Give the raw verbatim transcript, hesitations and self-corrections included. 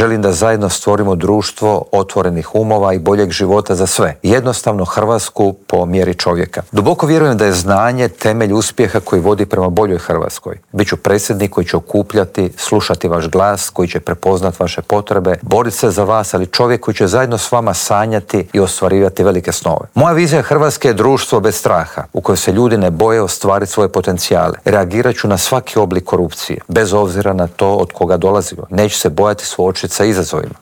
Želim da zajedno stvorimo društvo otvorenih umova i boljeg života za sve. Jednostavno Hrvatsku po mjeri čovjeka. Duboko vjerujem da je znanje temelj uspjeha koji vodi prema boljoj Hrvatskoj. Biću predsjednik koji će okupljati, slušati vaš glas, koji će prepoznati vaše potrebe, boriti se za vas, ali čovjek koji će zajedno s vama sanjati i ostvarivati velike snove. Moja vizija Hrvatske je društvo bez straha, u kojoj se ljudi ne boje ostvariti svoje potencijale. Reagirat ću na svaki oblik korupcije, bez obzira na to od koga dolazimo. Neću se bojati suočiti sa izazovima.